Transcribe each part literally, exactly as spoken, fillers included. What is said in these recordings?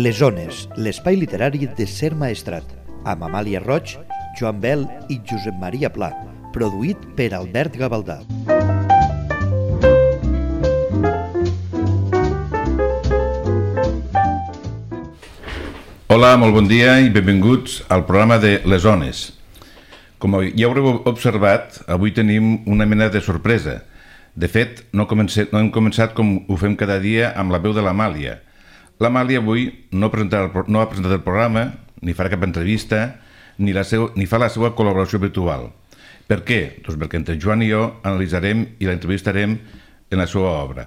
Les Ones, l'espai literari de Ser Maestrat, amb Amàlia Roig, Joan Bel i Josep Maria Pla, produït per Albert Gavaldà. Hola, molt bon dia i benvinguts al programa de Les Ones. Com ja haureu observat, avui tenim una mena de sorpresa. De fet, no, comencé, no hem començat com ho fem cada dia amb la veu de l'Amàlia. L'Amàlia avui no, no ha presentat el programa, ni farà cap entrevista, ni, la seu, ni fa la seva col·laboració virtual. Per què? Doncs perquè entre Joan i jo analitzarem i la entrevistarem en la seva obra.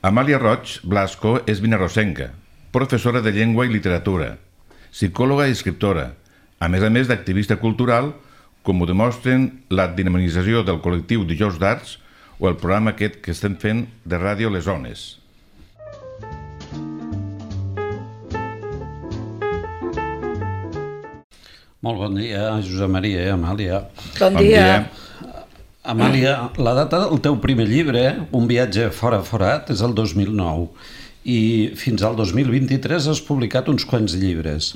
Amàlia Roig Blasco és vinarrosenca, professora de llengua i literatura, psicòloga i escriptora, a més a més d'activista cultural, com ho demostren la dinamització del col·lectiu Dijous d'Arts o el programa aquest que estem fent de ràdio Les Ones. Molt bon dia, Josep Maria i Amàlia. Bon dia. Amàlia, la data del teu primer llibre, Un viatge fora forat, és el dos mil nou i fins al dos mil vint-i-tres has publicat uns quants llibres.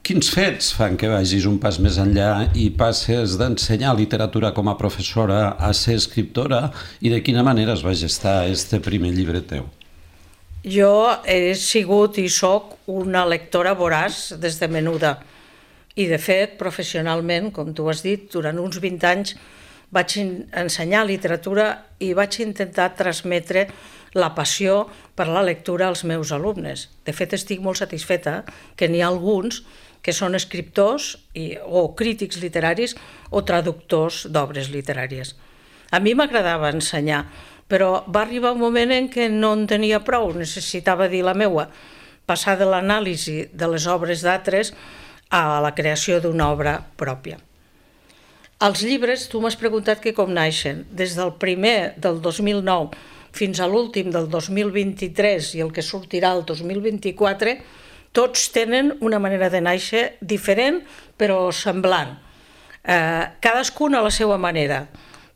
Quins fets fan que vagis un pas més enllà i passes d'ensenyar literatura com a professora a ser escriptora i de quina manera es va gestar este primer llibre teu? Jo he sigut i soc una lectora voraç des de menuda i de fet professionalment, com tu has dit, durant uns vint anys vaig ensenyar literatura i vaig intentar transmetre la passió per la lectura als meus alumnes. De fet, estic molt satisfeta que n'hi ha alguns que són escriptors i, o crítics literaris o traductors d'obres literàries. A mi m'agradava ensenyar, però va arribar un moment en què no en tenia prou, necessitava dir la meua, passar de l'anàlisi de les obres d'altres a la creació d'una obra pròpia. Els llibres, tu m'has preguntat que com naixen. Des del primer del dos mil nou fins a l'últim del dos mil vint-i-tres i el que sortirà el dos mil vint-i-quatre, tots tenen una manera de néixer diferent però semblant. Eh, cadascun a la seva manera,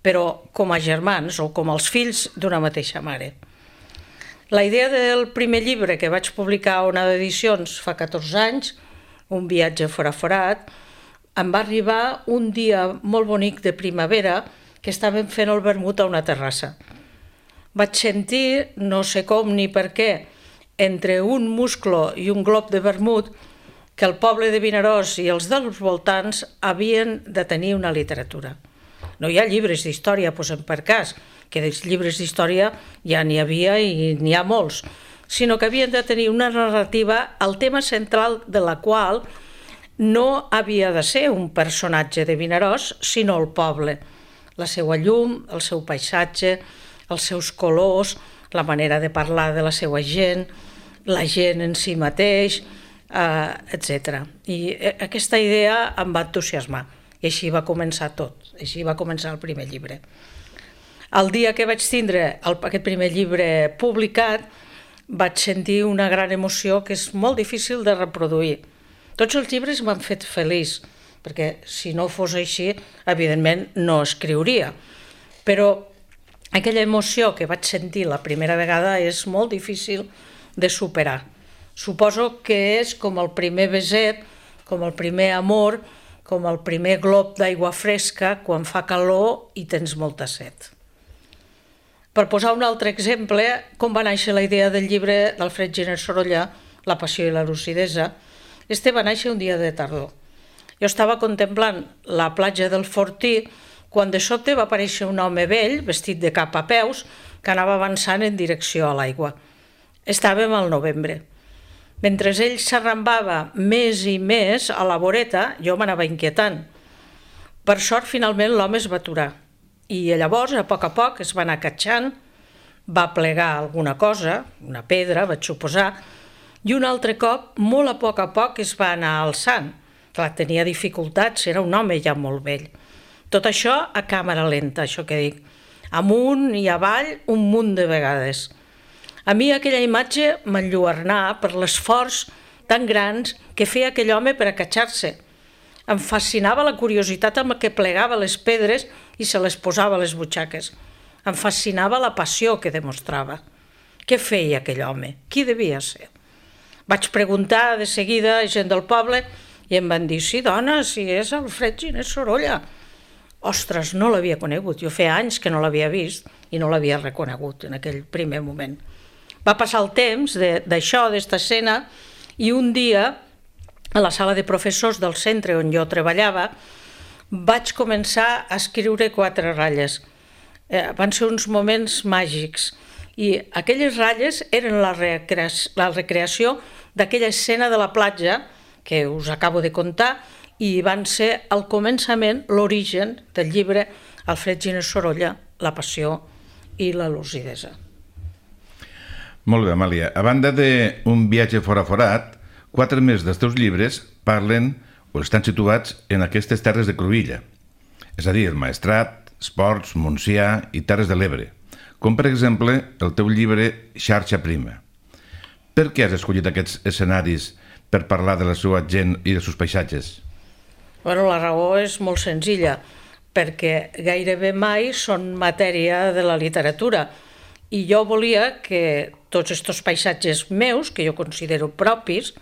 però com a germans o com els fills d'una mateixa mare. La idea del primer llibre que vaig publicar a Onada Edicions fa catorze anys, Un viatge fora forat, em va arribar un dia molt bonic de primavera que estàvem fent el vermut a una terrassa. Vaig sentir, no sé com ni per què, entre un musclo i un glob de vermut, que el poble de Vinaròs i els dels voltants havien de tenir una literatura. No hi ha llibres d'història, posem per cas, que dels llibres d'història ja n'hi havia i n'hi ha molts, sinó que havien de tenir una narrativa, el tema central de la qual no havia de ser un personatge de Vinaròs, sinó el poble, la seva llum, el seu paisatge, els seus colors, la manera de parlar de la seva gent, la gent en si mateix, eh, etcètera. I aquesta idea em va entusiasmar i així va començar tot, així va començar el primer llibre. El dia que vaig tindre el, aquest primer llibre publicat vaig sentir una gran emoció que és molt difícil de reproduir. Tots els llibres m'han fet feliç, perquè si no fos així, evidentment no escriuria. Però aquella emoció que vaig sentir la primera vegada és molt difícil de superar. Suposo que és com el primer beset, com el primer amor, com el primer glob d'aigua fresca quan fa calor i tens molta set. Per posar un altre exemple, com va néixer la idea del llibre d'Alfred Giner Sorolla, La passió i la lucidesa, este va néixer un dia de tardor. Jo estava contemplant la platja del Fortí quan de sobte va aparèixer un home vell, vestit de cap a peus, que anava avançant en direcció a l'aigua. Estàvem al novembre. Mentre ell s'arrambava més i més a la voreta, jo m'anava inquietant. Per sort, finalment, l'home es va aturar. I llavors, a poc a poc, es va anar catxant, va plegar alguna cosa, una pedra, vaig suposar, i un altre cop, molt a poc a poc, es va anar alçant. Clar, tenia dificultats, era un home ja molt vell. Tot això a càmera lenta, això que dic. Amunt i avall, un munt de vegades. A mi aquella imatge m'enlluernà per l'esforç tan grans que feia aquell home per acatxar-se. Em fascinava la curiositat amb què plegava les pedres i se les posava a les butxaques. Em fascinava la passió que demostrava. Què feia aquell home? Qui devia ser? Vaig preguntar de seguida a gent del poble i em van dir, sí, dona, si és Alfred Giner Sorolla. Ostres, no l'havia conegut. Jo feia anys que no l'havia vist i no l'havia reconegut en aquell primer moment. Va passar el temps d'això, d'esta escena, i un dia, a la sala de professors del centre on jo treballava, vaig començar a escriure quatre ratlles. Eh, van ser uns moments màgics i aquelles ratlles eren la, recrea la recreació d'aquella escena de la platja que us acabo de contar i van ser al començament l'origen del llibre Alfred Giner Sorolla, La passió i la lucidesa. Molt bé, Amàlia. A banda d'un viatge fora forat, quatre més dels teus llibres parlen o estan situats en aquestes terres de Cruïlla, és a dir, el Maestrat, Esports, Montsià i Terres de l'Ebre, com per exemple el teu llibre Xarxa Prima. Per què has escollit aquests escenaris per parlar de la seva gent i dels seus paisatges? Bueno, la raó és molt senzilla, perquè gairebé mai són matèria de la literatura i jo volia que tots aquests paisatges meus, que jo considero propis,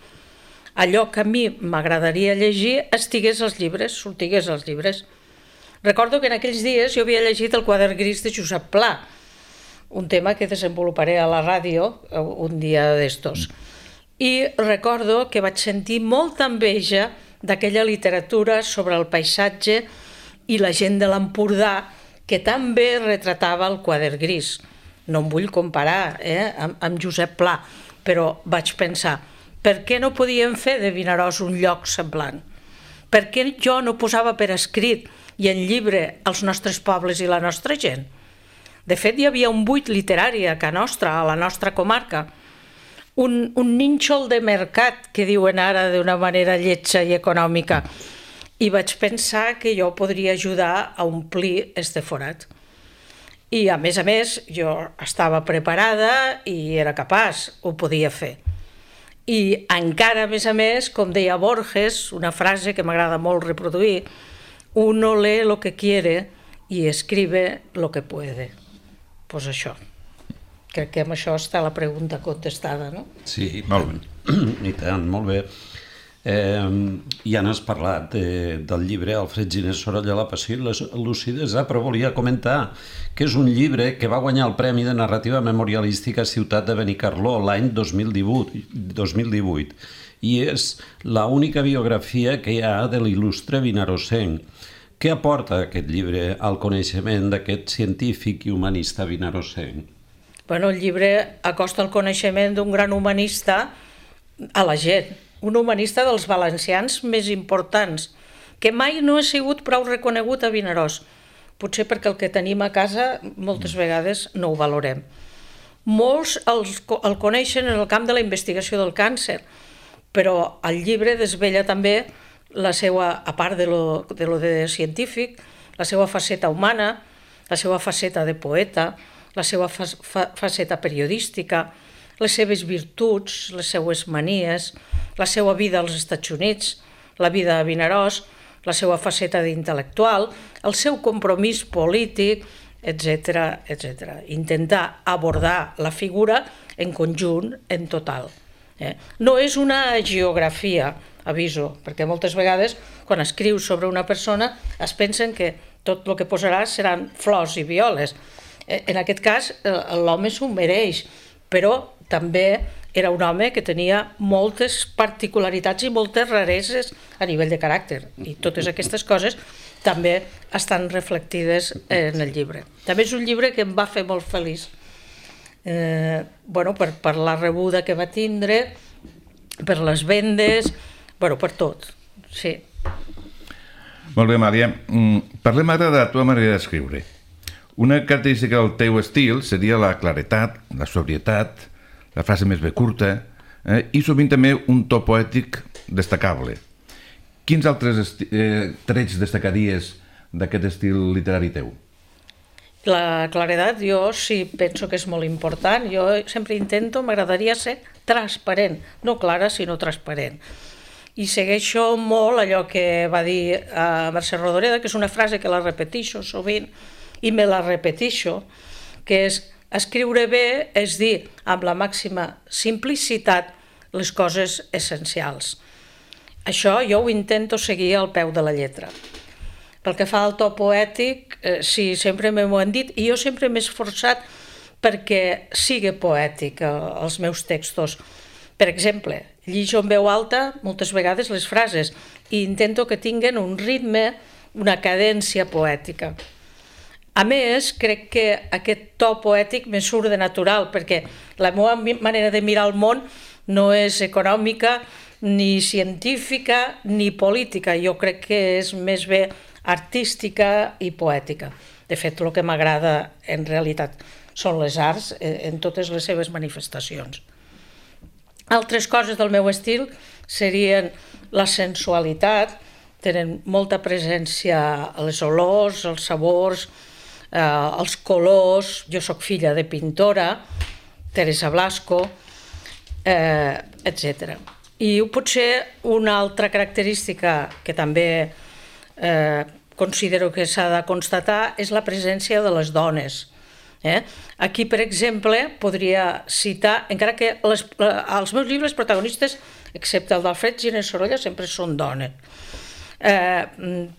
allò que a mi m'agradaria llegir estigués als llibres, sortigués als llibres. Recordo que en aquells dies jo havia llegit El quadern gris de Josep Pla, un tema que desenvoluparé a la ràdio un dia d'estos. I recordo que vaig sentir molta enveja d'aquella literatura sobre el paisatge i la gent de l'Empordà que també retratava el quadern gris. No em vull comparar eh, amb, amb Josep Pla, però vaig pensar, per què no podíem fer de Vinaròs un lloc semblant? Per què jo no posava per escrit i en llibre els nostres pobles i la nostra gent? De fet, hi havia un buit literari a Ca Nostra, a la nostra comarca, un, un nínxol de mercat, que diuen ara d'una manera lletja i econòmica, i vaig pensar que jo podria ajudar a omplir este forat. I, a més a més, jo estava preparada i era capaç, ho podia fer. I encara, a més a més, com deia Borges, una frase que m'agrada molt reproduir, uno lee lo que quiere y escribe lo que puede. Pues això. Crec que amb això està la pregunta contestada, no? Sí, molt bé. I tant, molt bé. Eh, ja n'has parlat de, del llibre Alfred Giner Sorolla, La passió i la lucidesa, però volia comentar que és un llibre que va guanyar el Premi de Narrativa Memorialística a Ciutat de Benicarló l'any dos mil divuit i és l'única biografia que hi ha de l'il·lustre vinarosenc. Què aporta aquest llibre al coneixement d'aquest científic i humanista vinarosenc? Bueno, el llibre acosta el coneixement d'un gran humanista a la gent, un humanista dels valencians més importants, que mai no ha sigut prou reconegut a Vinaròs, potser perquè el que tenim a casa moltes vegades no ho valorem. Molts els, el coneixen en el camp de la investigació del càncer, però el llibre desvella també la seva, a part de lo, de lo de científic, la seva faceta humana, la seva faceta de poeta, la seva fa, fa, faceta periodística, les seves virtuts, les seues manies, la seva vida als Estats Units, la vida a Vinaròs, la seva faceta d'intel·lectual, el seu compromís polític, etcètera, etcètera. Intentar abordar la figura en conjunt, en total. Eh? No és una geografia, aviso, perquè moltes vegades quan escrius sobre una persona es pensen que tot el que posaràs seran flors i violes. En aquest cas, l'home s'ho mereix, però també era un home que tenia moltes particularitats i moltes rareses a nivell de caràcter, i totes aquestes coses també estan reflectides en el llibre. També és un llibre que em va fer molt feliç, eh, bueno, per, per la rebuda que va tindre, per les vendes, bueno, per tot, sí. Molt bé, Amàlia. Parlem ara de la teva manera d'escriure. Una característica del teu estil seria la claretat, la sobrietat, la frase més bé curta, eh, i sovint també un to poètic destacable. Quins altres eh, trets destacaries d'aquest estil literari teu? La claredat jo sí penso que és molt important. Jo sempre intento, m'agradaria ser transparent, no clara, sinó transparent. I segueixo molt allò que va dir a Mercè Rodoreda, que és una frase que la repeteixo sovint, i me la repeteixo, que és escriure bé és dir amb la màxima simplicitat les coses essencials. Això jo ho intento seguir al peu de la lletra. Pel que fa al to poètic, eh, sí, sempre m'ho han dit, i jo sempre m'he esforçat perquè sigui poètic eh, els meus textos. Per exemple, llijo en veu alta moltes vegades les frases i intento que tinguen un ritme, una cadència poètica. A més, crec que aquest to poètic me surt de natural, perquè la meva manera de mirar el món no és econòmica, ni científica, ni política. Jo crec que és més bé artística i poètica. De fet, el que m'agrada en realitat són les arts en totes les seves manifestacions. Altres coses del meu estil serien la sensualitat, tenen molta presència a les olors, els sabors, eh, els colors. Jo sóc filla de pintora, Teresa Blasco, eh, etcètera. I potser una altra característica que també eh, considero que s'ha de constatar és la presència de les dones. Eh? Aquí, per exemple, podria citar, encara que les, els meus llibres protagonistes, excepte el d'Alfred Giner Sorolla, sempre són dones. Eh,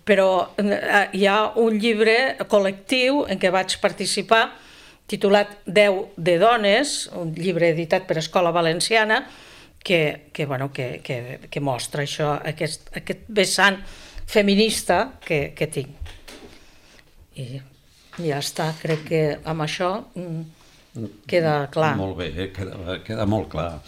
però eh, hi ha un llibre col·lectiu en què vaig participar, titulat Deu de dones, un llibre editat per Escola Valenciana, que, que, bueno, que, que, que mostra això, aquest, aquest vessant feminista que, que tinc. I ja està, crec que amb això queda clar. Molt bé, queda, queda molt clar.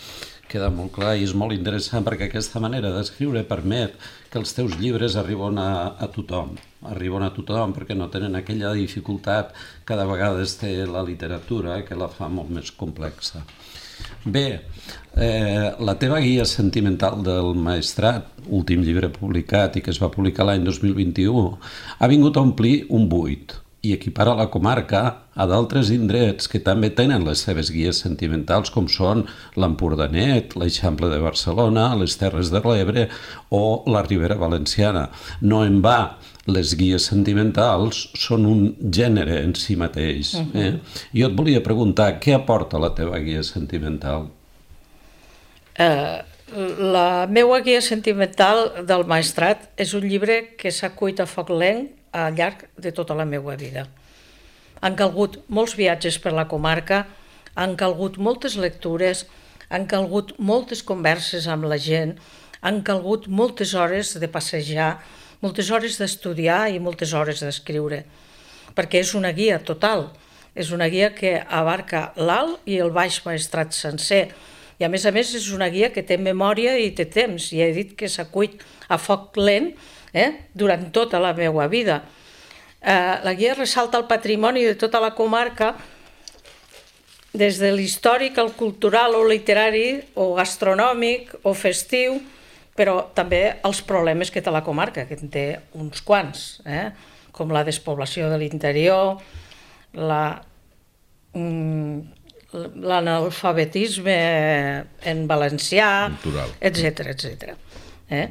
Queda molt clar i és molt interessant perquè aquesta manera d'escriure permet que els teus llibres arriben a, a tothom. Arriben a tothom perquè no tenen aquella dificultat que de vegades té la literatura, que la fa molt més complexa. Bé, eh, la teva guia sentimental del Maestrat, últim llibre publicat i que es va publicar l'any dos mil vint-i-u, ha vingut a omplir un buit i equipara la comarca a d'altres indrets que també tenen les seves guies sentimentals, com són l'Empordanet, l'Eixample de Barcelona, les Terres de l'Ebre o la Ribera Valenciana. No en va, les guies sentimentals són un gènere en si mateix. Eh? Jo et volia preguntar, què aporta la teva guia sentimental? Uh, la meva guia sentimental del Maestrat és un llibre que s'ha cuit a foc lent al llarg de tota la meva vida. Han calgut molts viatges per la comarca, han calgut moltes lectures, han calgut moltes converses amb la gent, han calgut moltes hores de passejar, moltes hores d'estudiar i moltes hores d'escriure, perquè és una guia total, és una guia que abarca l'Alt i el Baix Maestrat sencer, i a més a més és una guia que té memòria i té temps, i he dit que s'ha cuit a foc lent eh, durant tota la meva vida. Eh, la guia ressalta el patrimoni de tota la comarca, des de l'històric, el cultural o literari, o gastronòmic, o festiu, però també els problemes que té la comarca, que en té uns quants, eh? Com la despoblació de l'interior, la, l'analfabetisme en valencià, etcètera, etcètera. Eh?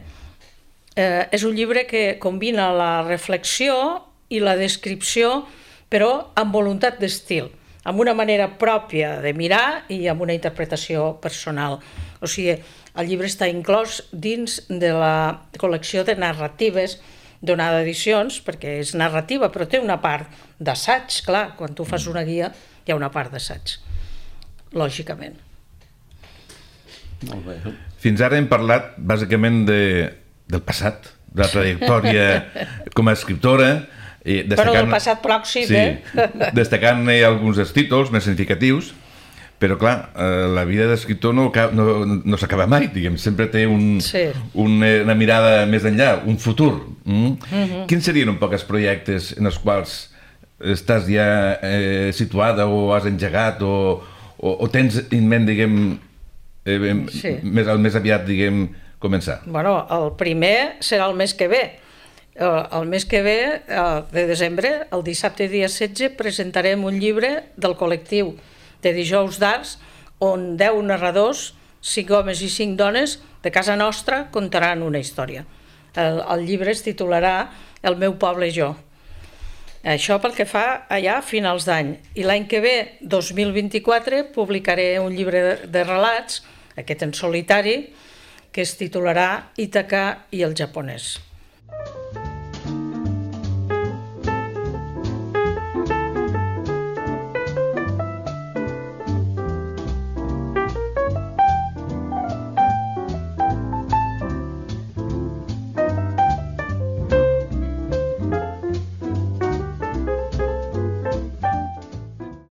Eh, és un llibre que combina la reflexió i la descripció, però amb voluntat d'estil, amb una manera pròpia de mirar i amb una interpretació personal. O sigui, el llibre està inclòs dins de la col·lecció de narratives d'Onada Edicions, perquè és narrativa, però té una part d'assaig, clar, quan tu fas una guia hi ha una part d'assaig, lògicament. Molt bé. Fins ara hem parlat bàsicament de, del passat, de la trajectòria com a escriptora, i però del passat pròxim, sí, eh? Destacant alguns dels títols més significatius, però clar, eh, la vida d'escriptor no, no, no s'acaba mai, diguem, sempre té un, sí. un, una mirada més enllà, un futur. Mm? Mm-hmm. Quins serien un poc els projectes en els quals estàs ja eh, situada o has engegat o, o, o tens en ment, diguem, eh, sí. més, el més aviat, diguem, començar? Bueno, el primer serà el mes que ve. El mes que ve, de desembre, el dissabte dia setze, presentarem un llibre del col·lectiu de Dijous d'Arts, on deu narradors, cinc homes i cinc dones, de casa nostra, contaran una història. El, el llibre es titularà El meu poble i jo. Això pel que fa allà a finals d'any. I l'any que ve, dos mil vint-i-quatre, publicaré un llibre de, de relats, aquest en solitari, que es titularà Ítaca i el japonès.